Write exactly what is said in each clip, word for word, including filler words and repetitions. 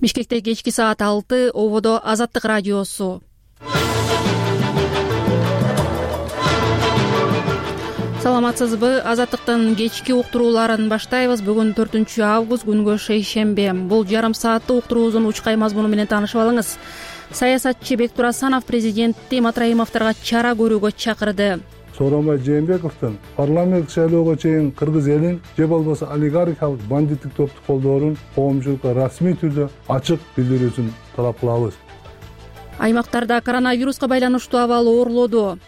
Бишкекте кечки саат алты, ободо Азаттык радиосу. Саламатсызбы? Азаттыктын кечки уктурууларын баштайбыз. Бүгүн төртүнчү август, күнгө шейшембе. Бул жарым сааттык уктуруубуздун учкай мазмуну менен таанышып алыңыз. Саясатчы Бектур Асанов президентти Матраимовдорго чара көрүүгө чакырды. Сооронбай Жээнбековдун парламенттик шайлоого чейин кыргыз элин же болбосо олигархиялык бандиттик топту колдоорун коомчулукка расмий түрдө ачык билдирүүсүн талап кылабыз. Аймактарда коронавируска байланыштуу абал оорлоду.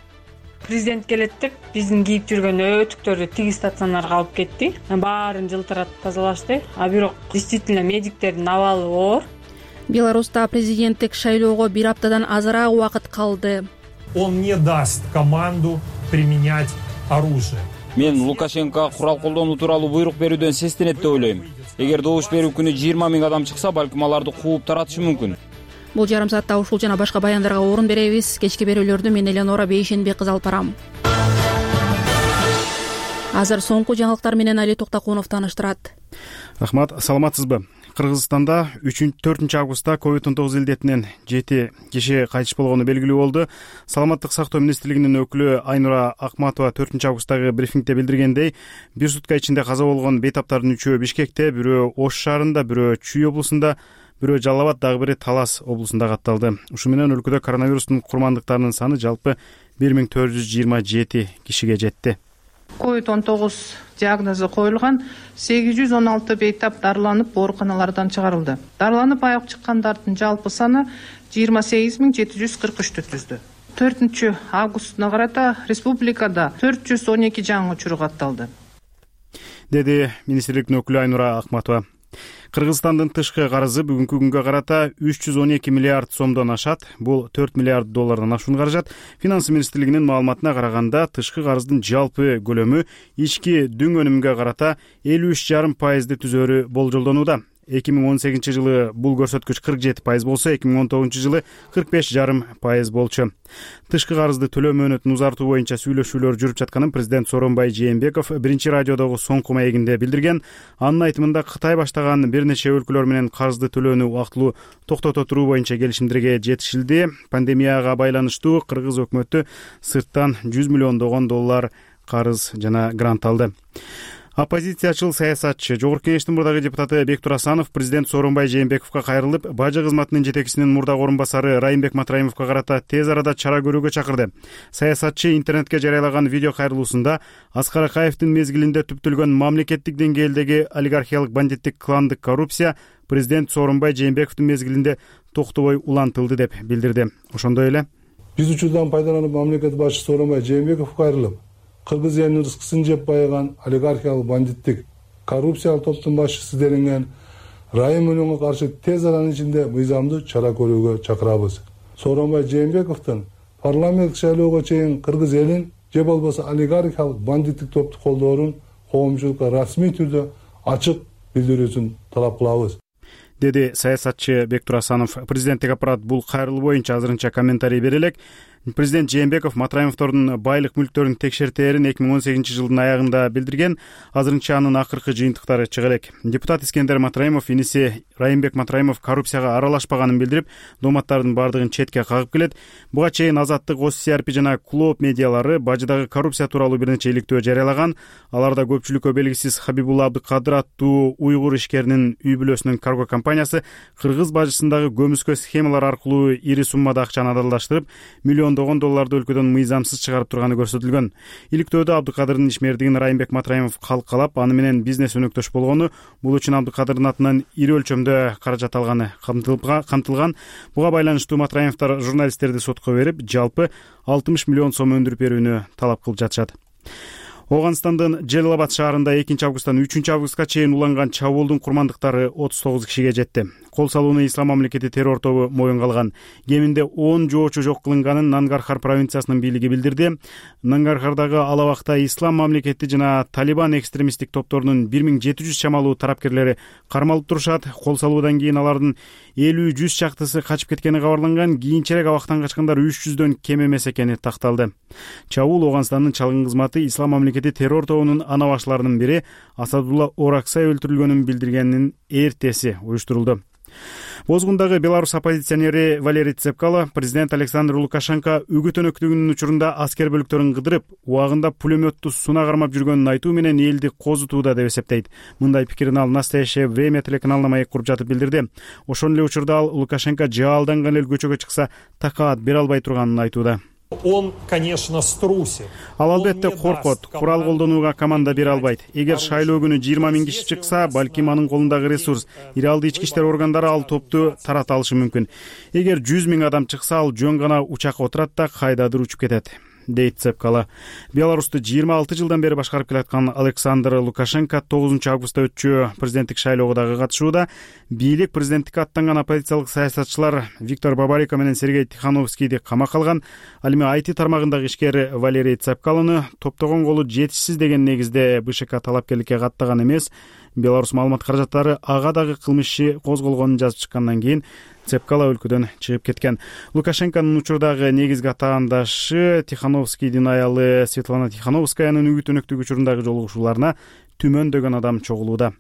Президент келет деп биздин кийип жүргөн өтүктөрдү тиги стационарга алып кетти. Баарын жылтыратып тазалашты. А бирок действительно медиктердин абалы оор. Беларуста президенттик шайлоого бир аптадан азыраак убакыт калды. Он не даст команду применять оружие. Мен Лукашенко курал колдонуу тууралуу буйрук берүүдөн сестенет деп ойлойм. Эгер добуш берүү күнү жыйырма миң адам чыкса, балким аларды кууп таратышы мүмкүн. Бул жарым саатта ушул жана башка баяндарга орун беребиз. Кечки берүүлөрдү мен Элеонора Бейшенбек кызы алып барам. Азыр соңку жаңылыктар менен Али Токтокунов тааныштырат. Рахмат, саламатсызбы? Кыргызстанда төртүнчү августта ковид он тогуз илдетинен жети киши кайтыш болгону белгилүү болду. Саламаттык сактоо министрлигинин өкүлү Айнура Акматова төртүнчү августтагы брифингде билдиргендей, бир сутка ичинде каза болгон бейтаптардын үчөө Бишкекте, бирөө Ош шаарында, бирөө Чүй облусунда, бирөө Жалал Абад, дагы бири Талас облусунда катталды. Ушу менен өлкөдө коронавирустун курмандыктарынын саны жалпы бир миң төрт жүз жыйырма жети кишиге жетти. ковид он тогуз диагнозу коюлган сегиз жүз он алты бейтап дарыланып ооруканалардан чыгарылды. Дарыланып аяк чыккандардын жалпы саны жыйырма сегиз миң жети жүз кырк үчтү түздү. төртүнчү августуна карата республикада төрт жүз он эки жаңы учур катталды, деди министрликтин өкүлү Айнура Акматова. Кыргызстандын тышкы карызы бүгүнкү күнгө карата үч жүз он эки миллиард сомдон ашат. Бул төрт миллиард доллардан ашуун каражат. Финанс министрлигинин маалыматына караганда, тышкы карыздын жалпы көлөмү ички дүң өнүмгө карата элүү үч жарым пайызды түзөөрү болжолдонууда. эки миң он сегизинчи жылы бул көрсөткүч кырк жети пайыз болсо, эки миң он тогузунчу жылы кырк беш жарым пайыз болчу. Тышкы карызды төлөө мөөнөтүн узартуу боюнча сүйлөшүүлөр жүрүп жатканын президент Сооронбай Жээнбеков биринчи радиодогу соңку маегинде билдирген. Анын айтымында Кытай баштаган бир нече өлкөлөр менен карызды төлөөнү убактылуу токтото туруу боюнча келишимдерге жетишилди. Пандемияга байланыштуу кыргыз өкмөтү сырттан жүз миллиондогон доллар карыз жана грант алды. Оппозициячыл саясатчы, Жогорку Кеңештин мурдагы депутаты Бектур Асанов президент Сооронбай Жээнбековго кайрылып, бажы кызматынын жетекчисинин мурдагы орун басары Райымбек Матраимовго карата тез арада чара көрүүгө чакырды. Саясатчы интернетке жарыялаган видео кайрылуусунда Аскар Акаевдин мезгилинде түптөлгөн мамлекеттик деңгээлдеги олигархиялык бандиттик кландык коррупция президент Сооронбай Жээнбековдун мезгилинде токтобой улантылды деп билдирди. Ошондой эле биз учурдан пайдаланып мамлекет башчысы Сооронбай Жээнбеков кайрылып, кыргыз элинин рызкысын жеп байыган олигархиялык бандиттик коррупциялык топтун башчысы делинген Райым Мөлөнгө каршы тез аранын ичинде мыйзамдуу чара көрүүгө чакырабыз. Сооронбай Жээнбековдун парламенттик шайлоого чейин кыргыз элин же болбосо олигархиялык бандиттик топту колдоорун коомчулукка расмий түрдө ачык билдирүүсүн талап кылабыз, деди саясатчы Бектур Асанов. Президенттик аппарат бул кайрылуу боюнча азырынча комментарий бере элек. Президент Жээнбеков Матраимовдордун байлык мүлктөрүн текшертээрин эки миң он сегизинчи жылдын аягында билдирген. Азырынча анын акыркы жыйынтыктары чыга элек. Депутат Искендер Матраимов иниси Райымбек Матраимов коррупцияга аралашпаганын билдирип, дооматтардын бардыгын четке кагып келет. Буга чейин Азаттык, Ос Си Ар Пи жана Клооп медиалары бажыдагы коррупция тууралуу бир нече иликтөө жарыялаган. Аларда көпчүлүккө белгисиз Хабибулла Абдыкадыр аттуу уйгур ишкеринин үй бүлөсүнүн карго компаниясы кыргыз бажысындагы көмүскө схемалар аркылуу ири суммада акчаны адалдаштырып, миллиондогон долларды өлкөдөн мыйзамсыз чыгарып турганы көрсөтүлгөн. Иликтөөдө Абдыкадырдын ишмердигин Райымбек Матраимов калкалап, аны менен бизнес өнөктөш болгону, бул үчүн Абдыкадырдын атынан ири өлчөмдө каражат алганы камтылган. Буга байланыштуу Матраимовдор журналисттерди сотко берип, жалпы алтымыш миллион сом өндүрүп берүүнү талап кылып жатышат. Ооганстандын Жалал Абад шаарында экинчи августтан үчүнчү августка чейин уланган чабуулдун курмандыктары отуз тогуз кишиге жетти. Кол салууну Ислам мамлекети террор тобу моюнга алган. Кеминде он жоочу жок кылынганын Нангархар провинциясынын бийлиги билдирди. Нангархардагы ал абакта Ислам мамлекети жана Талибан экстремисттик топторунун бир миң жети жүз чамалуу тарапкерлери кармалып турушат. Кол салуудан кийин алардын элүү жүз чактысы качып кеткени кабарланган. Кийинчерээк абактан качкандар үч жүздөн кем эмес экени такталды. Чабуул Ооганстандын чалгын кызматы Ислам мамлекети террор тобунун ана башларынын бири Асадулла Ораксай өлтүрүлгөнүн билдиргенин эртеси уюштурулду. Бозгундагы белорус оппозиционери Валерий Цепкало президент Александр Лукашенко үгүт өнөктүгүнүн учурунда аскер бөлүктөрүн кыдырып, убагында пулеметту сунак кармап жүргөнүн айтуу менен элди козутууда деп эсептейт. Мындай пикирин ал «Настоящее время» телеканалына маек куруп жатып билдирди. Ошол эле учурда ал Лукашенко жаалданган эл көчөгө чыкса такаат бере албай турганын айтууда. Он, конечно, струсит. Ал албетте коркот, курал колдонууга команда бере албайт. Эгер шайлоо күнү жыйырма миң киши чыкса, балким анын колундагы ресурс, иралды ички иштер органдары ал топту тарата алышы мүмкүн. Эгер жүз миң адам чыкса, ал жөн гана учакка отурат да кайдадыр учуп кетет, дейт Цепкало. Беларусту жыйырма алты жылдан бери башкарып келаткан Александр Лукашенко тогузунчу августта өтчү президенттик шайлоого дагы катышууда. Бийлик президенттикке аттанган оппозициялык саясатчылар Виктор Бабарико менен Сергей Тихановскийди камакка алган. Ал эми ай ти тармагындагы ишкер Валерий Цепкалону топтогон колу жетишсиз деген негизде БШК талапкерликке каттаган эмес. Беларусь маалымат каражаттары ага дагы кылмыш иши козголгонун жазып чыккандан кийин Цепкало өлкөдөн чыгып кеткен. Лукашенконун учурдагы негизги атаандашы Тихановскийдин аялы Светлана Тихановскаянын үгүт өнөктүгү учурундагы жолугушууларына түмөндөгөн адам чогулууда.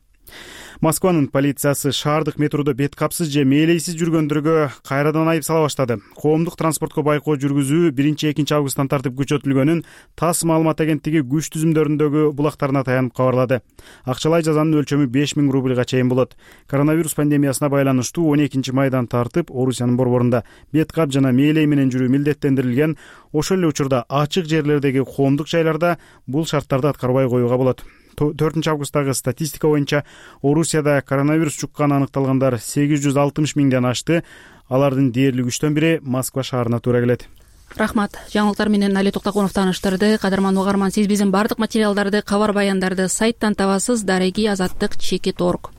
Москванын полициясы шаардык метродо бет капсыз же мээлейсиз жүргөндөргө кайрадан айып сала баштады. Коомдук транспортко байкоо жүргүзүү биринчи экинчи августтан тартып күчөтүлгөнүн ТАСС маалымат агенттиги күч түзүмдөрүндөгү булактарына таянып кабарлады. Акчалай жазанын өлчөмү беш миң рубльга чейин болот. Коронавирус пандемиясына байланыштуу он экинчи майдан тартып Орусиянын борборунда бет кап жана мээлей менен жүрүү милдеттендирилген. Ошол эле учурда ачык жерлердеги коомдук жайларда бул шарттарды аткарбай коюуга болот. төртүнчү августтагы статистика боюнча Орусияда коронавирус жукканы аныкталгандар сегиз жүз алтымыш миңден ашты. Алардын дээрлик үчтөн бири Москва шаарына туура келет. Рахмат. Жаңылыктар менен Али Токтогонов тааныштырды. Кадырман угарман, сиз биздин бардык материалдарды, кабар баяндарды сайттан табасыз. Дареги азаттык чекит точка орг.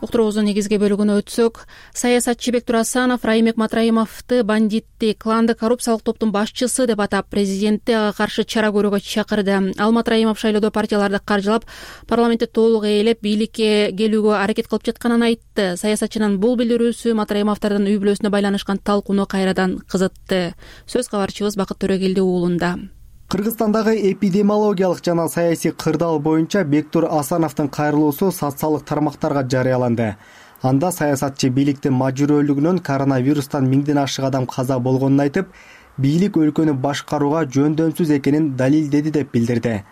Уктуруубуздун негизги бөлүгүнө өтсөк, саясатчы Бектур Асанов Райымбек Матраимовду бандитти, кланды коррупциялык топтун башчысы деп атап, президентти ага каршы чара көрүүгө чакырды. Ал Матраимов шайлоодо партияларды каржылап, парламентти толук ээлеп, бийликке келүүгө аракет кылып жатканын айтты. Саясатчынын бул билдирүүсү Матраимовдордун үй бүлөсүнө байланышкан талкууну кайрадан кызытты. Сөз кабарчыбыз Бакыт Төрөгелди уулунда. Кыргызстандагы эпидемиологиялык жана саясий кырдаал боюнча Бектур Асановдун кайрылуусу социалдык тармактарга жарыяланды. Анда саясатчы бийликтин мажбүрөлүгүнөн коронавирустан миңден ашык адам каза болгонун айтып, бийлик өлкөнү башкарууга жөндөмсүз экенин далилдеди деп билдирди.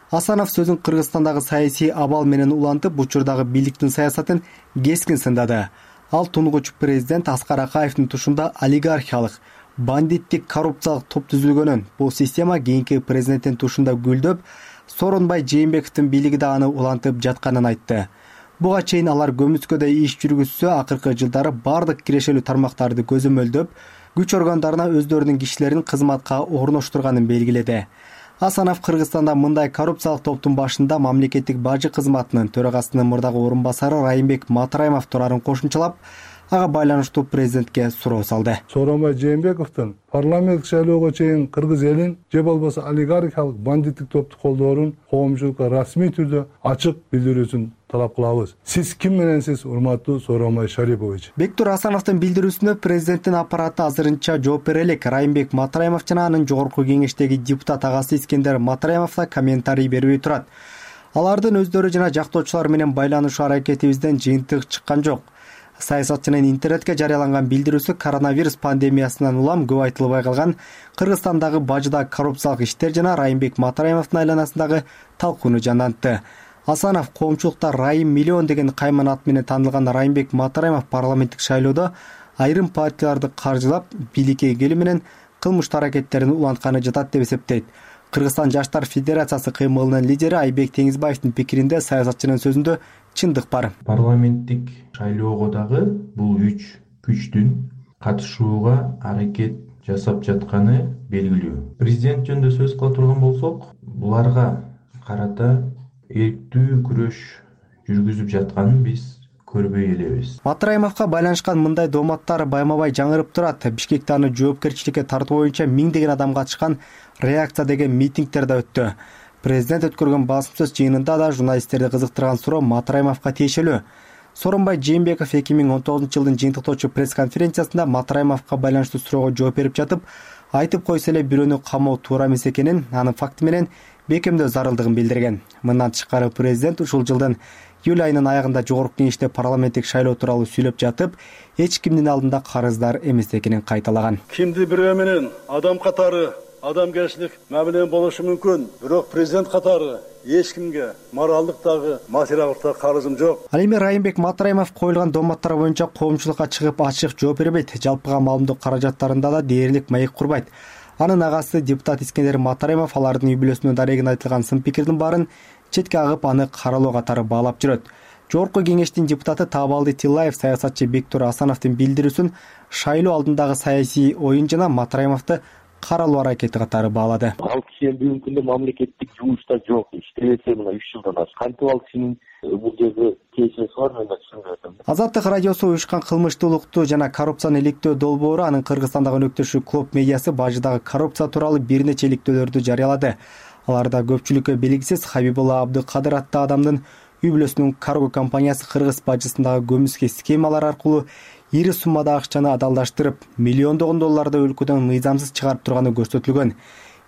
Асанов сөзүн Кыргызстандагы саясий абал менен улантып, учурдагы бийликтин саясатын кескин сындады. Ал тунгуч президент Аскар Акаевдин тушунда олигархиялык, бандиттик, коррупциялык топ түзүлгөнүн, бул система кийинки президенттин тушунда гүлдөп, Сооронбай Жээнбековдун бийлиги да аны улантып жатканын айтты. Буга чейин алар көмүскөдө иш жүргүзсө, акыркы жылдары бардык кирешелүү тармактарды көзөмөлдөп, күч органдарына өздөрүнүн кишилерин кызматка орноштурганын белгиледи. Асанов Кыргызстанда мындай коррупциялык топтун башында мамлекеттик бажы кызматынын төрагасынын мурдагы орун басары Райымбек Матраимов турарын кошумчалап, ага байланыштуу президентке суроо салды. Сооронбай Жээнбековдун парламенттик шайлоого чейин кыргыз элин же болбосо олигархиялык бандиттик топту колдоорун коомчулукка расмий түрдө ачык билдирүүсүн талап кылабыз. Сиз ким мененсиз, урматтуу Сооронбай Шарипович? Бектур Асановдун билдирүүсүнө президенттин аппараты азырынча жооп бере элек. Райымбек Матраимов жана анын жогорку кеңештеги депутат агасы Искендер Матраимов да комментарий бербей турат. Алардын өздөрү жана жактоочулар менен байланышуу аракетибизден жыйынтык чыккан жок. Саясатчынын интернетке жарыяланган билдирүүсү коронавирус пандемиясынан улам көп айтылбай калган Кыргызстандагы бажыдагы коррупциялык иштер жана Райымбек Матраимовдун айланасындагы талкууну жандантты. Асанов коомчулукта Райым миллион деген кайман ат менен таанылган Райымбек Матраимов парламенттик шайлоодо айрым партияларды каржылап, бийликке келүү менен кылмыштуу аракеттерин улантканы жатат деп эсептейт. Кыргызстан Жаштар Федерациясы кыймылынын лидери Айбек Теңизбаевдин пикиринде саясатчынын сөзүндө чындык бар. Парламенттик шайлоого дагы бул үч күчтүн катышууга аракет жасап жатканы белгилүү. Президент жөнүндө сөз кыла турган болсок, буларга карата эрктүү күрөш жүргүзүп жатканын биз көрбөй элебиз. Матраимовго байланышкан мындай дооматтар байма-бай жаңырып турат. Бишкекте аны жоопкерчиликке тартуу боюнча миңдеген адам катышкан реакция деген митингдер да өттү. Президент өткөргөн басым сөз жыйынында да журналисттерди кызыктырган суроо Матраимовго тиешелүү. Сооронбай Жээнбеков эки миң он тогузунчу жылдын жыйынтыктоочу пресс-конференциясында Матраимовго байланыштуу суроого жооп берип жатып, айтып койсо эле бирөөнү камоо туура эмес экенин, анын факти менен бекемдөө зарылдыгын билдирген. Мындан тышкары президент ушул жылдын июль айынын аягында жогорку кеңеште парламенттик шайлоо тууралуу сүйлөп жатып, эч кимдин алдында карыздар эмес экенин кайталаган. Кимди бирөө менен адам катары адамгерчилик мамиле болушу мүмкүн, бирок президент катары эч кимге моралдык дагы материалдык да карызым жок. Ал эми Райымбек Матраимов коюлган доматтар боюнча коомчулукка чыгып ачык жооп бербейт. Жалпыга маалымдоо каражаттарында да дээрлик маек курбайт. Анын агасы депутат Искендер Матраимов алардын үй бүлөсүнө дарегин айтылган сын пикирдин баарын четке агып, аны каралоо катары баалап жүрөт. Жогорку кеңештин депутаты Таабалды Тиллаев саясатчы Бектур Асановдун билдирүүсүн шайлоо алдындагы саясий оюн жана Матраимовду каралоо аракети катары баалады. Ал киши эми бүгүнкү күндө мамлекеттик жумушта жок, иштебесе мына үч жылдан ашты. Кантип ал кишинин бул жерде тиешеси бар, мен да түшүнбөй атам. Азаттык радиосу уюшкан кылмыштуулукту жана коррупцияны иликтөө долбоору анын Кыргызстандагы өнөктөшү Клоп медиасы бажыдагы коррупция тууралуу бир нече иликтөөлөрдү жарыялады. Аларда көпчүлүккө белгисиз Хабибулла Абдыкадыр аттуу адамдын үй бүлөсүнүн карго компаниясы кыргыз бажысындагы көмүскө схемалар аркылуу ири суммада акчаны адалдаштырып, миллиондогон долларды өлкөдөн мыйзамсыз чыгарып турганы көрсөтүлгөн.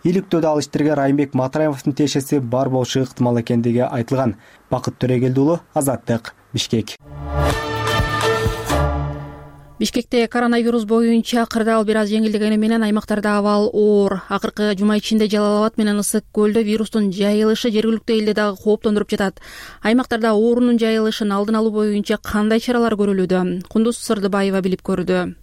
Иликтөөдө ал иштерге Райымбек Матраимовдун тиешеси бар болушу ыктымал экендиги айтылган. Бакыт Төрөгелди уулу, Азаттык, Бишкек. Бишкекте коронавирус боюнча кырдаал бир аз жеңилдегени менен аймактарда абал оор. Акыркы жума ичинде Жалал Абад менен Ысык көлдө вирустун жайылышы жергиликтүү элди дагы кооптондуруп жатат. Аймактарда оорунун жайылышын алдын алуу боюнча кандай чаралар көрүлүүдө? Кундуз Сырдыбаева билип көрдү.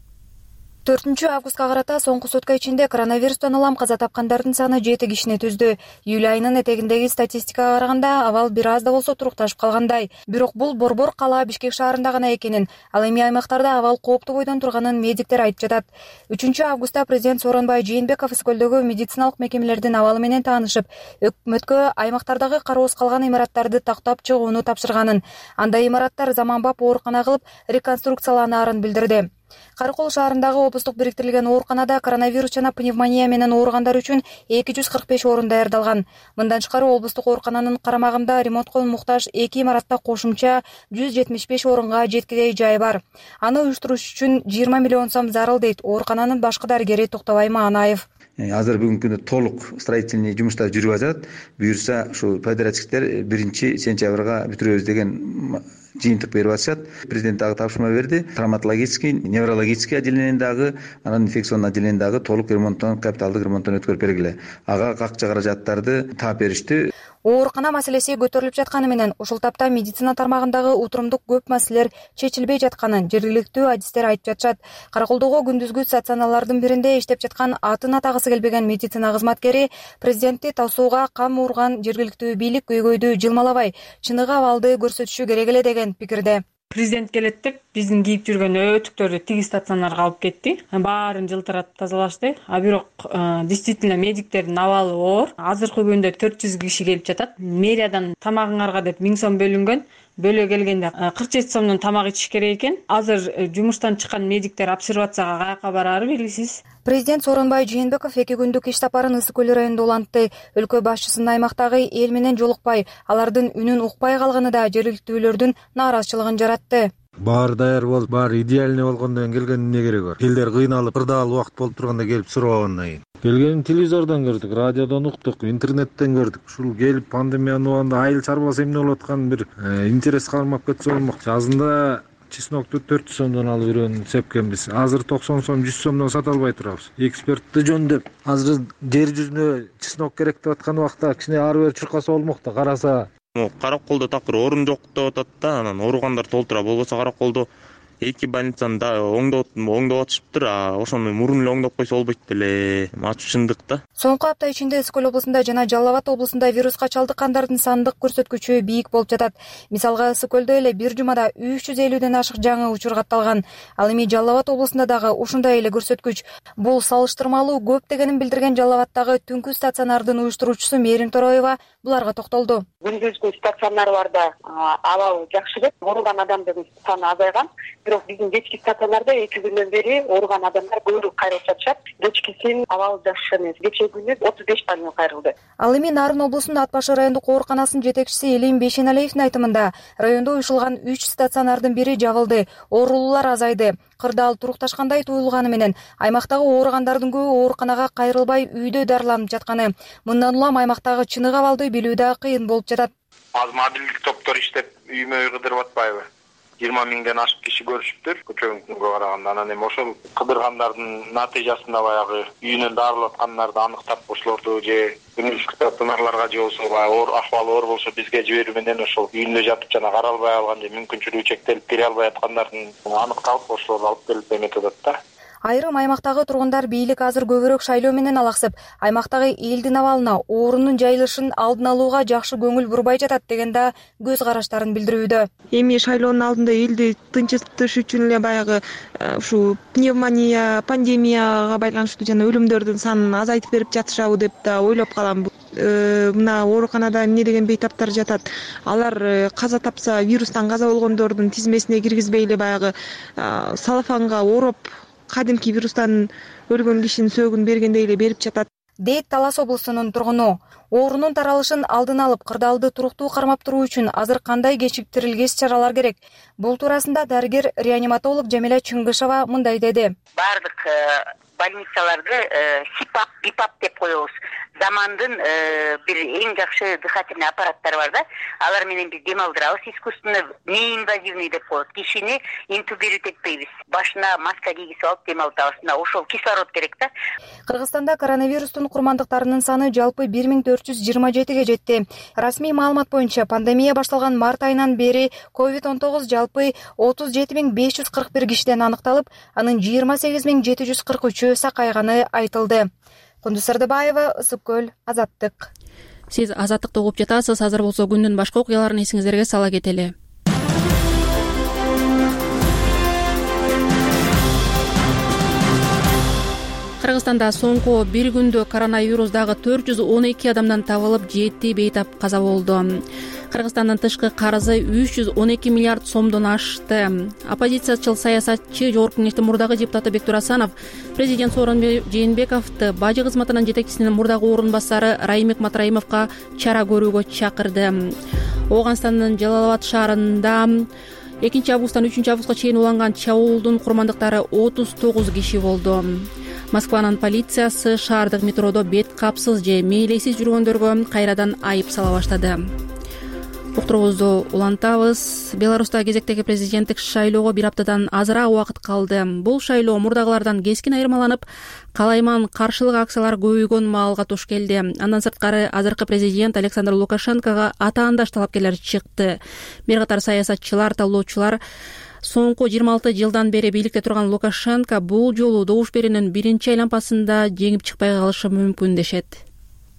төртүнчү августка карата соңку сутка ичинде коронавирустан улам каза тапкандардын саны жети кишини түздү. Июль айынын этегиндеги статистикага караганда абал бир аз да болсо турукташып калгандай. Бирок бул борбор кала Бишкек шаарында гана экенин, ал эми аймактарда абал кооптуу бойдон турганын медиктер айтып жатат. үчүнчү августта президент Сооронбай Жээнбеков Ысыкөлдөгү медициналык мекемелердин абалы менен таанышып, өкмөткө аймактардагы кароосуз калган имараттарды тактап чыгууну тапшырганын, андай имараттар заманбап оорукана кылып реконструкцияланаарын билдирди. Каракол шаарындагы облустук бириктирилген ооруканада коронавирус жана пневмония менен ооругандар үчүн эки жүз кырк беш орун даярдалган. Мындан тышкары облустук оорукананын карамагында ремонтко муктаж эки имаратта кошумча жүз жетимиш беш орунга жеткидей жай бар. Аны уюштуруш үчүн жыйырма миллион сом зарыл дейт оорукананын башкы дарыгери Токтобай Маанаев. Азыр бүгүнкү күндө толук строительный жумуштар жүрүп атат. Буюрса ушу подрядчиктер биринчи сентябрга бүтүрөбүз деген жыйынтык берип атышат. Президент дагы тапшырма берди. Травматологический, неврологический отделениени дагы, анан инфекционный отделениени дагы толук ремонттон, капиталдык ремонттон өткөрүп бергиле. Ага какча каражаттарды таап беришти. Оорукана маселеси көтөрүлүп жатканы менен ушул тапта медицина тармагындагы утурумдук көп маселелер чечилбей жатканын жергиликтүү адистер айтып жатышат. Караколдогу күндүзгү стационарлардын биринде иштеп жаткан атын атагысы келбеген медицина кызматкери президентти тосууга кам урган жергиликтүү бийлик көйгөйдү жылмалабай, чыныгы абалды көрсөтүшү керек эле деген пикирде. Президент келет деп биздин кийип жүргөн өтүктөрдү тиги стационарга алып кетти. Баарын жылтыратып тазалашты. А бирок действительно медиктердин абалы оор. Азыркы күндө төрт жүз киши келип жатат. Мэриядан тамагыңарга деп миң сом бөлүнгөн. Бөлө келгенде кырк жети сомдон тамак ичиш керек экен. Азыр жумуштан чыккан медиктер обсервацияга каяка бараары белгисиз. Президент Сооронбай Жээнбеков эки күндүк иш сапарын Ысык көл районунда улантты. Өлкө башчысынын аймактагы эл менен жолукпай, алардын үнүн укпай калганы да жергиликтүүлөрдүн нааразычылыгын жаратты. Баары даяр болуп, баары идеальный болгондон кийин келгендин эмне кереги бар? Элдер кыйналып, кырдаал убакыт болуп турганда келип сурабагандан кийин. Келгенин телевизордон көрдүк, радиодон уктук, интернеттен көрдүк. Ушул келип пандемиянын убагында айыл чарбаса эмне болуп атканын бир интерес калмап кетсе болмок. Жазында чеснокту төрт жүз сомдон алып жүргөн сепкенбиз. Азыр токсон сом, жүз сомдон сата албай турабыз. Экспертти жөндөп, азыр жер жүзүнө чеснок керек деп аткан убакта кичине ары бери чуркаса болмок да, караса Караколдо такыр орун жок деп атат да, анан ооругандар толтура болбосо Караколдо эки больницаны да оңдоп оңдоп атышыптыр, а ошону мурун эле оңдоп койсо болбойт беле. Ачуу чындык да. Соңку апта ичинде Ысык көл облусунда жана Жалал Абад облусунда вируска чалдыккандардын сандык көрсөткүчү бийик болуп жатат. Мисалга Ысык көлдө эле бир жумада үч жүз элүүдөн ашык жаңы учур катталган. Ал эми Жалал Абад облусунда дагы ушундай эле көрсөткүч. Бул салыштырмалуу көп дегенин билдирген Жалал Абаддагы түнкү стационардын уюштуруучусу Мээрим Тороева буларга токтолду. Күндүзгү стационарларда абал жакшы деп, ооруган адамдын саны азайган. бирок биздин кечки стационарда эки күндөн бери ооруган адамдар көбүрөөк кайрылып жатышат. Кечкисин абалы жакшы эмес. Кечээ күнү отуз беш пациент кайрылды. Ал эми Нарын облусунун Ат башы райондук ооруканасынын жетекчиси Элим Бейшеналиевдин айтымында райондо уюшулган үч стационардын бири жабылды, оорулуулар азайды. Кырдаал турукташкандай туюлганы менен аймактагы ооругандардын көбү ооруканага кайрылбай үйдө дарыланып жатканы. Мындан улам аймактагы чыныгы абалды билүү да кыйын болуп жатат. Аз мобилдик топтор иштеп үймө үй кыдырып атпайбы? жыйырма миңден ашык киши көрүшүптүр көчөгүнкүнгө караганда. Анан эми ошол кыдыргандардын натыйжасында баягы үйүнөн дарылап аткандарды аныктап ошолорду же күндүзгү стационарларга же болсо баягы оор акыбалы оор болсо бизге жиберүү менен ошол үйүндө жатып жана каралбай алган же мүмкүнчүлүгү чектелип кире албай аткандардын аныкталып ошолорду алып келип эметип атат да. Айрым аймактагы тургундар бийлик азыр көбүрөөк шайлоо менен алаксып, аймактагы элдин абалына, оорунун жайылышын алдын алууга жакшы көңүл бурбай жатат деген да көз караштарын билдирүүдө. Эми шайлоонун алдында элди тынчытыш үчүн эле баягы ушу пневмония, пандемияга байланыштуу жана өлүмдөрдүн санын азайтып берип жатышабы деп да ойлоп калам. Мына ооруканада эмне деген бейтаптар жатат. Алар каза тапса, вирустан каза болгондордун тизмесине киргизбей эле баягы салафанга ороп кадимки вирустан өлгөн кишинин сөөгүн бергендей эле берип жатат, дейт Талас облусунун тургуну. Оорунун таралышын алдын алып, кырдаалды туруктуу кармап туруу үчүн азыр кандай кечиктирилгес чаралар керек? Бул туурасында дарыгер реаниматолог Жамиля Чыңгышева мындай деди. Бардык больницаларды сипап, бипап деп коебуз. Замандын бир эң жакшы дыхательный аппараттары бар да. Алар менен биз дем алдырабыз. Искусственно неинвазивный деп коет. Кишини интубировать этпейбиз. Башына маска кийгизип алып дем алдырабыз. Ошол кислород керек да. Кыргызстанда коронавирустун курмандыктарынын саны жалпы бир миң төрт жүз жыйырма жетиге жетти. Расмий маалымат боюнча пандемия башталган март айынан бери ковид он тогуз жалпы отуз жети миң беш жүз кырк бир кишиден аныкталып, анын жыйырма сегиз миң жети жүз кырк үчөө сакайганы айтылды. Кундуз Сардыбаева, Ысык көл, Азаттык. Сиз Азаттыкты угуп жатасыз. Азыр болсо күндүн башка окуяларын эсиңиздерге сала кетели. Кыргызстанда соңку бир күндө коронавирус дагы төрт жүз он эки адамдан табылып, жети бейтап каза болду. Кыргызстандын тышкы карызы үч жүз он эки миллиард сомдон ашты. Оппозициячыл саясатчы Жогорку Кеңештин мурдагы депутаты Бектур Асанов президент Сооронбай Жээнбековду бажы кызматынын жетекчисинин мурдагы орун басары Раймек Матраимовго чара көрүүгө чакырды. Ооганстандын Жалал Абад шаарында экинчи августтан үчүнчү августка чейин уланган чабуулдун курмандыктары отуз тогуз киши болду. Москванын полициясы шаардык метродо бет капсыз же мээлейсиз жүргөндөргө кайрадан айып сала баштады. Уктуруубузду улантабыз. Беларуста кезектеги президенттик шайлоого бир аптадан азыраак убакыт калды. Бул шайлоо мурдагылардан кескин айырмаланып, калайман каршылык акциялар көбөйгөн маалга туш келди. Андан сырткары азыркы президент Александр Лукашенкого атаандаш талапкерлер чыкты. Бир катар саясатчылар, талоочулар соңку жыйырма алты жылдан бери бийликте турган Лукашенко бул жолу добуш берүүнүн биринчи айланпасында жеңип чыкпай калышы мүмкүн дешет.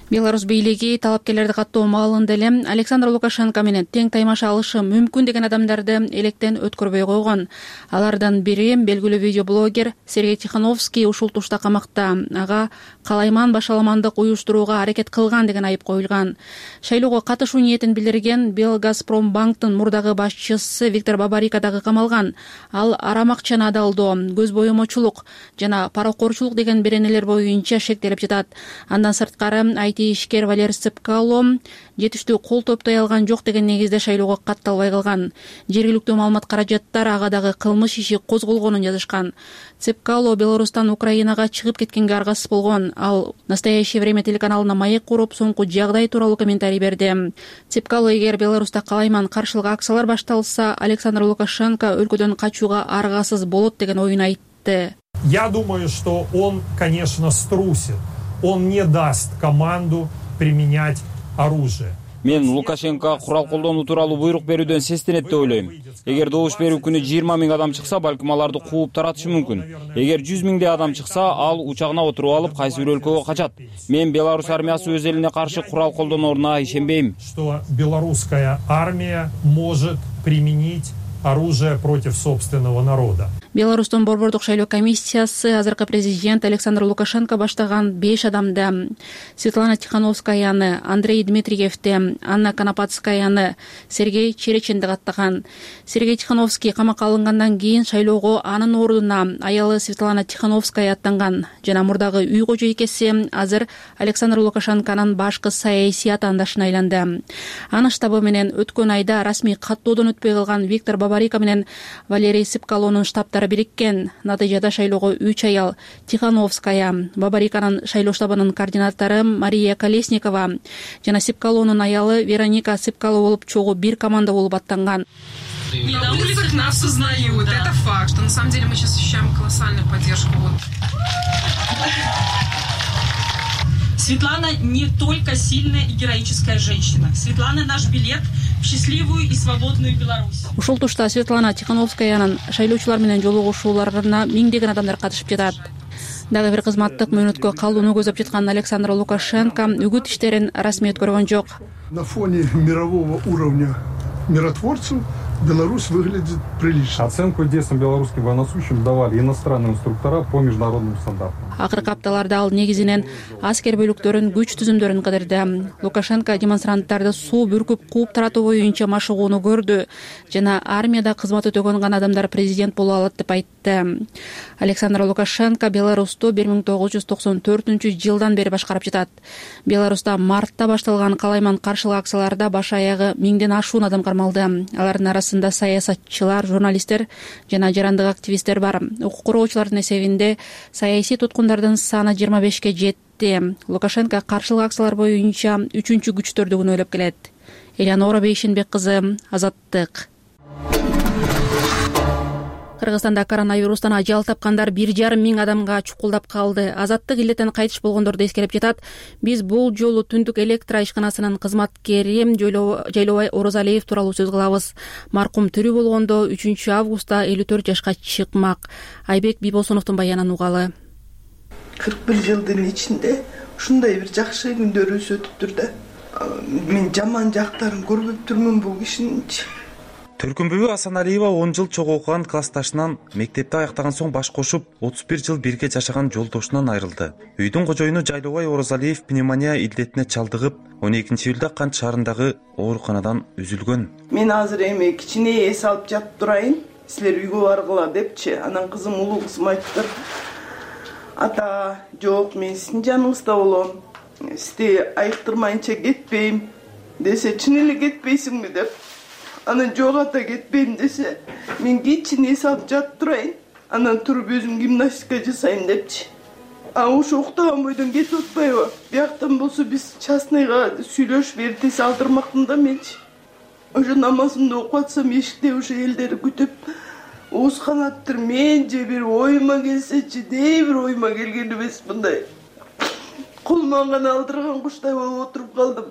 Беларусь бийлиги талапкерлерди каттоо маалында эле Александр Лукашенко менен тең таймаша алышы мүмкүн деген адамдарды электен өткөрбөй койгон. Алардан бири белгилүү видеоблогер Сергей Тихановский ушул тушта камакта. Ага калайман башаламандык уюштурууга аракет кылган деген айып коюлган. Шайлоого катышуу ниетин билдирген Белгазпромбанктын мурдагы башчысы Виктор Бабарико дагы камалган. Ал арам акчаны адалдоо, көз боемочулук жана паракорчулук деген беренелер боюнча шектелип жатат. Андан сырткары ишкер Валерий Цепкало жетиштүү кол топтой алган жок деген негизде шайлоого катталбай калган. Жергиликтүү маалымат каражаттар ага дагы кылмыш иши козголгонун жазышкан. Цепкало Беларустан Украинага чыгып кеткенге аргасыз болгон. Ал Настоящее время телеканалына маек куруп, соңку жагдай тууралуу комментарий берди. Цепкало эгер Беларуста калайман каршылык акциялар башталса, Александр Лукашенко өлкөдөн качууга аргасыз болот деген оюн айтты. Я думаю, что он, конечно, струсит. Он не даст команду применять оружие. Мен Лукашенко курал колдонуу тууралуу буйрук берүүдөн сестенет деп ойлойм. Эгер добуш берүү күнү жыйырма миң адам чыкса, балким аларды кууп таратышы мүмкүн. Эгер жүз миңдей адам чыкса, ал учагына отуруп алып, кайсы бир өлкөгө качат. Мен Беларусь армиясы өз элине каршы курал колдонооруна ишенбейм. Что белорусская армия может применить оружие против собственного народа. Беларустун борбордук шайлоо комиссиясы азыркы президент Александр Лукашенко баштаган беш адамды Светлана Тихановскаяны, Андрей Дмитриевди, Анна Конопатскаяны, Сергей Череченди каттаган. Сергей Тихановский камакка алынгандан кийин шайлоого анын ордуна аялы Светлана Тихановская аттанган жана мурдагы үй кожойкеси азыр Александр Лукашенконун башкы саясий атаандашына айланды. Анын штабы менен өткөн айда расмий каттоодон өтпөй калган Виктор Бабарика менен Валерий Сыпкалоонун штабтары бириккен. Натыйжада шайлоого үч аял Тихановская, Бабариканын шайлоо штабынын координатору Мария Колесникова жана Сыпкалоонун аялы Вероника Сыпкало болуп чогуу бир команда болуп аттанган. И на улицах нас узнают, это факт, что на самом деле мы сейчас ощущаем колоссальную поддержку. Светлана не только сильная и героическая женщина. Светлана наш билет в счастливую и свободную Беларусь. Ушул тушта Светлана Тихановскаянын шайлоочулар менен жолугушууларына миңдеген адамдар катышып жатат. Дагы бир кызматтык мөөнөткө калууну көздөп жаткан Александр Лукашенко үгүт иштерин расмий өткөргөн жок. На фоне мирового уровня миротворцев Беларусь выглядит прилично. Оценку действиям белорусским военнослужащим давали иностранные инструктора по международным стандартам. Акыркы апталарда ал негизинен аскер бөлүктөрүн, күч түзүмдөрүн кыдырды. Лукашенко демонстранттарды суу бүркүп кууп таратуу боюнча машыгууну көрдү жана армияда кызмат өтөгөн гана адамдар президент боло алат деп айтты. Александр Лукашенко Беларусту бир миң тогуз жүз токсон төртүнчү жылдан бери башкарып жатат. Беларуста мартта башталган калайман каршылык акцияларда баш аягы миңден ашуун адам кармалды. Алардын арасында саясатчылар, журналисттер жана жарандык активисттер бар. Укук коргоочулардын эсебинде саясий туткундардын саны жыйырма бешке жетти. Лукашенко каршылык акциялар боюнча үчүнчү күчтөрдү күнөөлөп келет. Элеонора Бейшенбек кызы, Азаттык. Кыргызстанда коронавирустан ажал тапкандар бир жарым миң адамга чукулдап калды. Азаттык илдеттен кайтыш болгондорду эскерип жатат. Биз бул жолу Түндүк электр ишканасынын кызматкери Жайлобай Орозалиев тууралуу сөз кылабыз. Маркум тирүү болгондо үчүнчү августта элүү төрт жашка чыкмак. Айбек Бибосуновдун баянын угалы. кырк бир жылдын ичинде ушундай бир жакшы күндөрүбүз өтүптүр да. Мен жаман жактарын көрбөптүрмүн бул кишининчи. Төркүнбүбү Асаналиева он жыл чогуу окуган классташынан, мектепти аяктаган соң баш кошуп, отуз бир жыл бирге жашаган жолдошунан айрылды. Үйдүн кожоюну Жайлобай Орозалиев пневмония илдетине чалдыгып, он экинчи июлда Кант шаарындагы ооруканадан үзүлгөн. Мен азыр эми кичине эс алып жатып турайын, силер үйгө баргыла депчи. Анан кызым, улуу кызым айтыптыр. Ата, жок, мен сиздин жаныңызда болом. Сизди айыктырмайынча кетпейм десе, чын эле кетпейсиңби деп. Анан жок ата, кетпейм десе, мен кичине эс алып жатып турайын. Анан туруп өзүм гимнастика жасайм депчи. А ушу уктаган бойдон кетип атпайбы? Бияктан болсо биз частныйга сүйлөшүп эртеси алдырмакмын да менчи. Ошо намазымды окуп атсам, эшикте ошо элдер күтүп, оозканаттыр. Мен же бир оюма келсечи, дей бир оюма келген эмес мындай. Колуман гана алдырган куштай болуп отуруп калдым.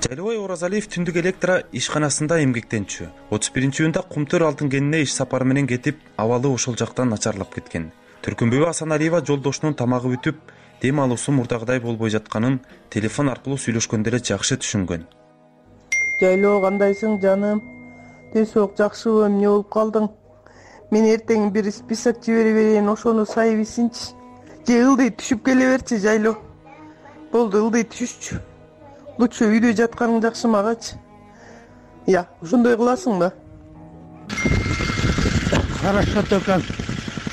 Жайлобай Орозалиев Түндүк электр ишканасында эмгектенчү. отуз биринчи июнда Кумтөр алтын кенине иш сапары менен кетип, абалы ошол жактан начарлап кеткен. Төркүнбүбү Асаналиева жолдошунун тамагы бүтүп, дем алуусу мурдагыдай болбой жатканын телефон аркылуу сүйлөшкөндө эле жакшы түшүнгөн. Жайлоо, кандайсың жаным? Десок жакшыбы, эмне болуп калдың? Мен эртең бир список жибере берейин, ошону сайбисинчи. Же ылдый түшүп келе берчи, Жайлоо. Болду, ылдый түшүшчү. Лучше үйдө жатканың жакшы магачы. Я, ошондой кыласың да. Хорошо, только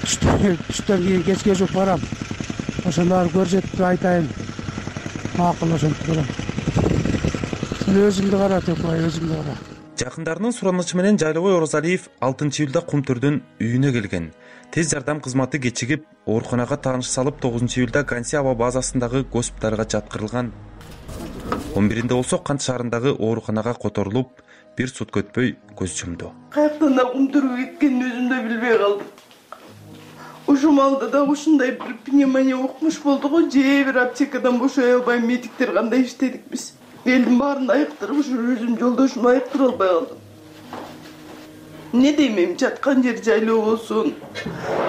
түштөн кийин кечке жуп барам. Ошондор көрсөтүп айтайын. Макул ошентип барам. Сен өзүңдү кара, Текбай, өзүңдү кара. Жакындарынын суранычы менен Жайлобай Орозалиев алтынчы июлда Кумтөрдөн үйүнө келген. Тез жардам кызматы кечигип, ооруканага тааныш салып, тогузунчу июлда Ганси аба базасындагы госпиталга жаткырылган. он биринде болсо Кант шаарындагы ооруканага которулуп, бир сутка өтпөй көз жумду. Каяктан да Кумтөргө кеткенин өзүм да билбей калдым. Ушул малда да ушундай бир пневмония укмуш болду го, же бир аптекадан бошой албай медиктер кандай иштедик биз. Элдин баарын айыктырып, ушу өзүм жолдошумду айыктыра албай калдым. Не дейм, жаткан жер жайлоо болсун,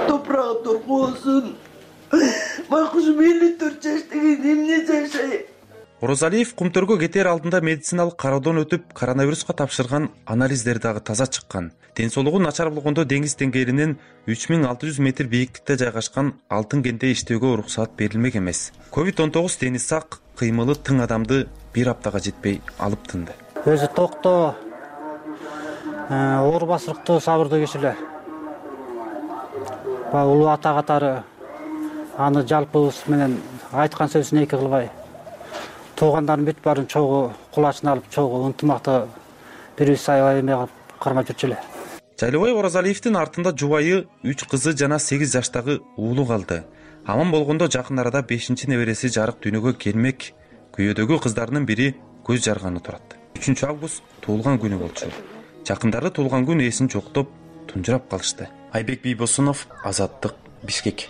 топурагы торко болсун. Байкуш элүү төрт жаш деген эмне жашайт? Орозалиев Кумтөргө кетер алдында медициналык кароодон өтүп, коронавируска тапшырган анализдер дагы таза чыккан. Ден соолугу начар болгондо деңиз деңгээлинен үч миң алты жүз метр бийиктикте жайгашкан алтын кенде иштөөгө уруксаат берилмек эмес. ковид он тогуз дени сак, кыймылы тың адамды бир аптага жетпей алып тынды. Өзү токтоо, оор басырыктуу сабырдуу кишилер. Баягы улуу ата катары аны жалпыбыз менен айткан сөзүн эки кылбай, туугандардын бүт баарын чогуу кулачына алып, чогуу ынтымакта бирибиз аябай эме кылып кармап жүрчү эле. Жайлыбай Оразалиевдин артында жубайы, үч кызы жана сегиз жаштагы уулу калды. Аман болгондо жакын арада бешинчи небереси жарык дүйнөгө келмек. Күйөөдөгү кыздарынын бири көз жарганы турат. үчүнчү август туулган күнү болчу. Жакындары туулган күн ээсин жоктоп, тунжурап калышты. Айбек Бийбосунов, Азаттык, Бишкек.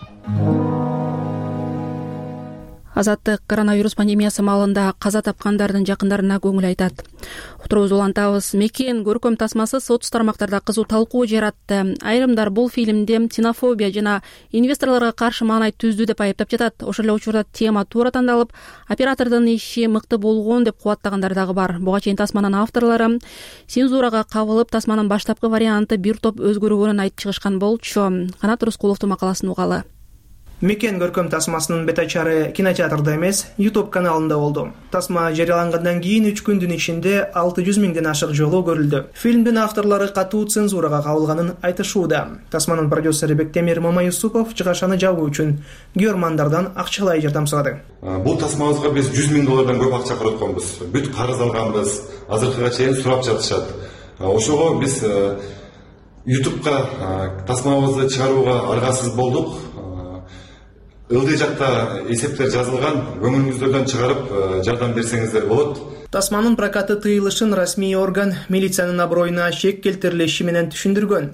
Азаттык коронавирус пандемиясы маалында каза тапкандардын жакындарына көңүл айтат. Уктуруубузду улантабыз. Мекен көркөм тасмасы соц тармактарда кызуу талкуу жаратты. Айрымдар бул фильмде ксенофобия жана инвесторлорго каршы маанай түздү деп айыптап жатат. Ошол эле учурда тема туура тандалып, оператордун иши мыкты болгон деп кубаттагандар дагы бар. Буга чейин тасманын авторлору цензурага кабылып, тасманын баштапкы варианты бир топ өзгөргөнүн айтып чыгышкан болчу. Канат Рыскуловдун макаласын угалы. Мекен көркөм тасмасынын бет-ачары кинотеатрда эмес, YouTube каналында болду. Тасма жарыялангандан кийин үч күндүн ичинде алты жүз миңден ашык жолу көрүлдү. Фильмдин авторлору катуу цензурага кабылганын айтышууда. Тасманын продюсери Бектемир Мамаюсупов чыгашаны жабуу үчүн көрөрмандардан акчалай жардам сурады. Бул тасмабызга биз жүз миң доллардан көп акча коротконбуз. Бүт карыз алганбыз. Азыркыга чейин сурап жатышат. Ошого биз YouTubeга тасмабызды чыгарууга аргасыз болдук. Ылдый жакта эсептер жазылган, көңүлүңүздөрдөн чыгарып жардам берсеңиздер болот. Тасманын прокаты тыйылышын расмий орган милициянын аброюна шек келтирилиши менен түшүндүргөн.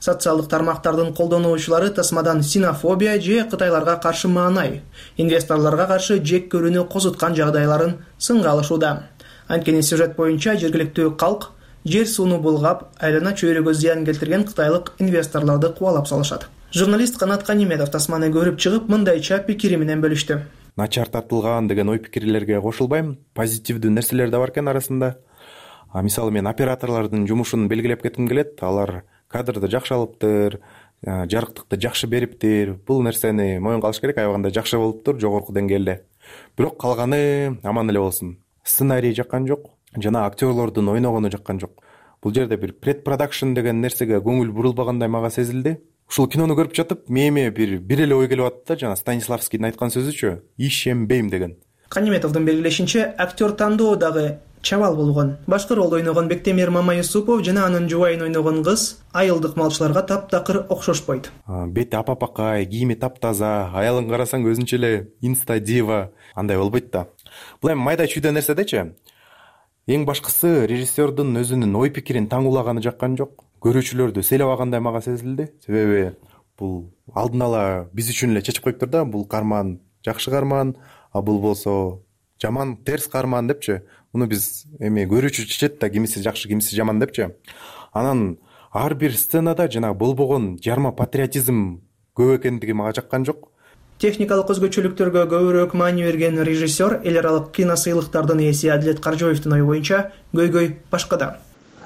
Социалдык тармактардын колдонуучулары тасмадан ксенофобия же кытайларга каршы маанай, инвесторлорго каршы жек көрүүнү козуткан жагдайларын сынга алышууда. Анткени сюжет боюнча жергиликтүү калк жер сууну булгап, айлана чөйрөгө зыян келтирген кытайлык инвесторлорду кубалап салышат. Журналист Канат Каниметов тасманы көрүп чыгып, мындайча пикири менен бөлүштү. Начар тартылган деген ой пикирлерге кошулбайм. Позитивдүү нерселер да бар экен арасында. А мисалы мен операторлордун жумушун белгилеп кетким келет. Алар кадрды жакшы алыптыр, жарыктыкты жакшы бериптир. Бул нерсени моюнга алыш керек, аябаганда жакшы болуптур жогорку деңгээлде. Бирок калганы аман эле болсун. Сценарий жаккан жок, жана актерлордун ойногону жаккан жок. Бул жерде бир предпродакшн деген нерсеге көңүл бурулбагандай мага сезилди. Ушул кинону көрүп жатып, мээме бир бир эле ой келип атты да, жана Станиславскийдин айткан сөзүчү, ишенбейм деген. Каниметовдун белгилешинче, актер тандоо дагы чабал болгон. Башкы ролду ойногон Бектемир Мамаюсупов жана анын жубайын ойногон кыз айылдык малчыларга таптакыр окшошпойт. Бети апапакай, кийими таптаза, аялын карасаң өзүнчө эле инста дива, андай болбойт да. Бул эми майда чүйдө нерседечи. Эң башкысы режиссердун өзүнүн ой пикирин таңуулаганы жаккан жок. Көрүүчүлөрдү селеп алгандай мага сезилди. Себеби бул алдын ала биз үчүн эле чечип коюптур да, бул карман жакшы карман, а бул болсо жаман терс карман депчи. Муну биз эми көрүүчү чечет да, кимиси жакшы, кимиси жаман депчи. Анан ар бир сценада жана болбогон жарма патриотизм көп экендиги мага жаккан жок. Техникалык өзгөчөлүктөргө көбүрөөк маани берген режиссер эл аралык киносыйлыктардын ээси Адилет Каржоевдун ою боюнча көйгөй башкада.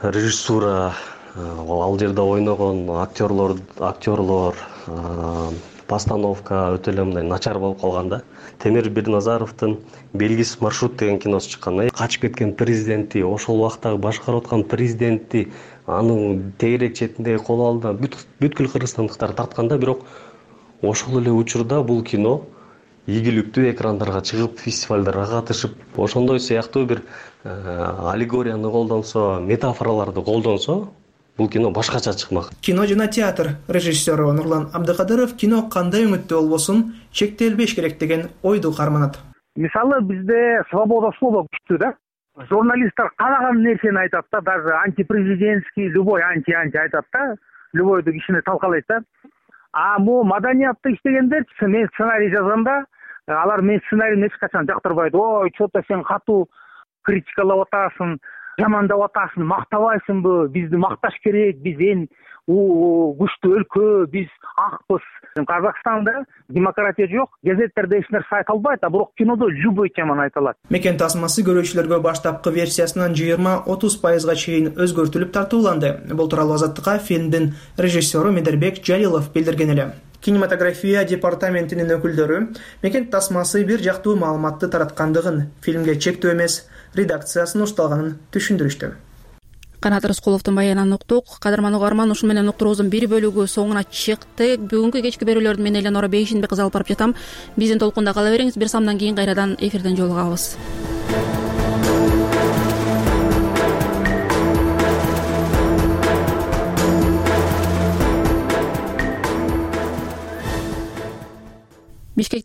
Режиссура, ал жерде ойногон актерлор, актерлор, постановка өтө эле мындай начар болуп калган да. Темир Бирназаровдун Белгисиз маршрут деген киносу чыккан. Качып кеткен президентти, ошол убактагы башкарып аткан президентти анын тегерек четиндеги кол алдына бүткүл кыргызстандыктар тартканда, бирок ошол эле учурда бул кино ийгиликтүү экрандарга чыгып, фестивалдарга катышып, ошондой сыяктуу бир аллегорияны колдонсо, метафораларды колдонсо, бул кино башкача чыкмак. Кино жана театр режиссеру Нурлан Абдыкадыров кино кандай үмүттүү болбосун чектелбеш керек деген ойду карманат. Мисалы бизде свобода слова күчтүү да. Журналисттер каалаган нерсени айтат да, даже антипрезидентский, любой анти-анти айтат да, любойду кишини талкалайт да. А могу маданиятта иштегендер, мен сценарий жазганда, алар мен сценарийни эч качан жактырбайт. Ой, чото сен катуу критикалап атасың, жамандап атасың, мактабайсыңбы, бизди макташ керек, биз эң күчтүү өлкө, биз акпыз. Казакстанда демократия жок, газеттерде эч нерсе айтылбайт, а бирок кинодо любой теманы айтылат. Мекен тасмасы көрүүчүлөргө баштапкы версиясынан жыйырма отуз пайызга чейин өзгөртүлүп тартууланды. Бул тууралуу Азаттыкка фильмдин режиссеру Медербек Жалилов билдирген эле. Кинематография департаментинин өкүлдөрү Мекен тасмасы бир жактуу маалыматты тараткандыгын, фильмге чектөө эмес, редакциясын ушталганын түшүндүрүштү. Канат Рыскуловдун баянынан уктук. Кадырман угарман, ушун менен уктуруубуздун бир бөлүгү соңуна чыкты. Бүгүнкү кечки берүүлөрдү мен Эленора Бейшинбек кызы алып барып жатам. Биздин толкунда кала бериңиз. Бир самдан кийин кайрадан эфирден жолугабыз. Бишкекте